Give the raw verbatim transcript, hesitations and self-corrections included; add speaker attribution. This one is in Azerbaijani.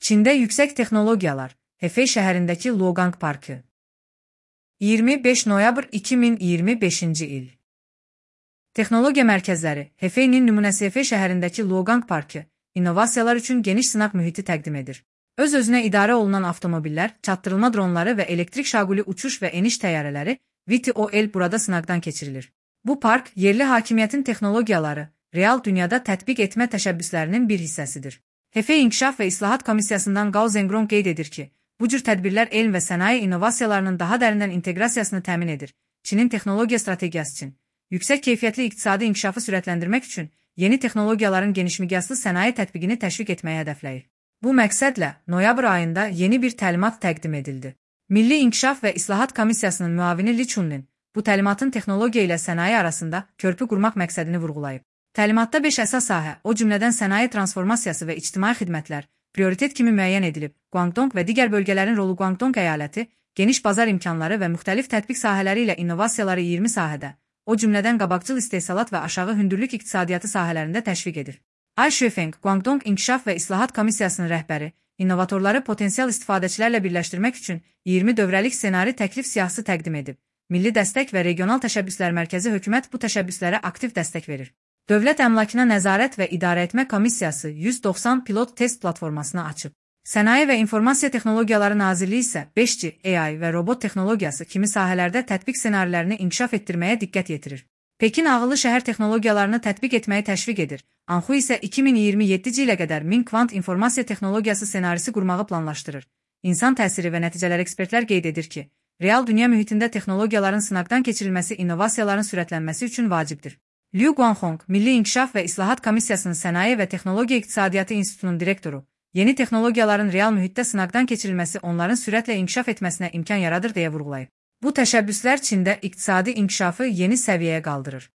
Speaker 1: Çində yüksək texnologiyalar, Hefey şəhərindəki Luogang Parkı. iyirmi beş noyabr iki min iyirmi beşinci il. Texnologiya mərkəzləri Hefey'nin nümunəsi Hefey şəhərindəki Luogang Parkı, innovasiyalar üçün geniş sınaq mühiti təqdim edir. Öz-özünə idarə olunan avtomobillər, çatdırılma dronları və elektrik şaquli uçuş və eniş təyyarələri V T O L burada sınaqdan keçirilir. Bu park, yerli hakimiyyətin texnologiyaları, real dünyada tətbiq etmə təşəbbüslərinin bir hissəsidir. Hefey İnkişaf və İslahat Komissiyasından Gao Zhengrong qeyd edir ki, bu cür tədbirlər elm və sənaye innovasiyalarının daha dərindən inteqrasiyasını təmin edir. Çinin texnologiya strategiyası üçün, yüksək keyfiyyətli iqtisadi inkişafı sürətləndirmək üçün yeni texnologiyaların genişmiqyaslı sənaye tətbiqini təşviq etməyə hədəfləyir. Bu məqsədlə noyabr ayında yeni bir təlimat təqdim edildi. Milli İnkişaf və İslahat Komissiyasının müavini Li Chunlin bu təlimatın texnologiya ilə sənaye arasında körpü qurmaq məqsədini vurğulayıb. Təlimatda beş əsas sahə, o cümlədən sənaye transformasiyası və ictimai xidmətlər, prioritet kimi müəyyən edilib. Guangdong və digər bölgələrin rolu Guangdong əyaləti, geniş bazar imkanları və müxtəlif tətbiq sahələri ilə innovasiyaları iyirmi sahədə, o cümlədən qabaqcıl istehsalat və aşağı hündürlük iqtisadiyyatı sahələrində təşviq edir. Ai Shifeng, Guangdong İnkişaf və İslahat Komissiyasının rəhbəri, innovatorları potensial istifadəçilərlə birləşdirmək üçün iyirmi dövrəlik ssenari təklif siyahısı təqdim edib. Milli Dəstək və Regional Təşəbbüslər Mərkəzi hökumət bu təşəbbüslərə aktiv dəstək verir. Dövlət Əmlakına Nəzarət və İdarəetmə Komissiyası yüz doxsan pilot test platformasını açıb. Sənaye və İnformasiya Texnologiyaları Nazirliyi isə beş G, A I və robot texnologiyası kimi sahələrdə tətbiq ssenarilərini inkişaf etdirməyə diqqət yetirir. Pekin ağıllı şəhər texnologiyalarını tətbiq etməyi təşviq edir. Anhu isə iki min iyirmi yeddinci ilə qədər min kvant informasiya texnologiyası ssenarisi qurmağı planlaşdırır. İnsan təsiri və nəticələr ekspertlər qeyd edir ki, real dünya mühitində texnologiyaların sınaqdan keçirilməsi innovasiyaların sürətlənməsi üçün vacibdir. Liu Guanhong, Milli İnkişaf və İslahat Komissiyasının Sənaye və Texnologiya İqtisadiyyatı İnstitutunun direktoru, yeni texnologiyaların real mühitdə sınaqdan keçirilməsi onların sürətlə inkişaf etməsinə imkan yaradır deyə vurğulayıb. Bu təşəbbüslər Çində iqtisadi inkişafı yeni səviyyəyə qaldırır.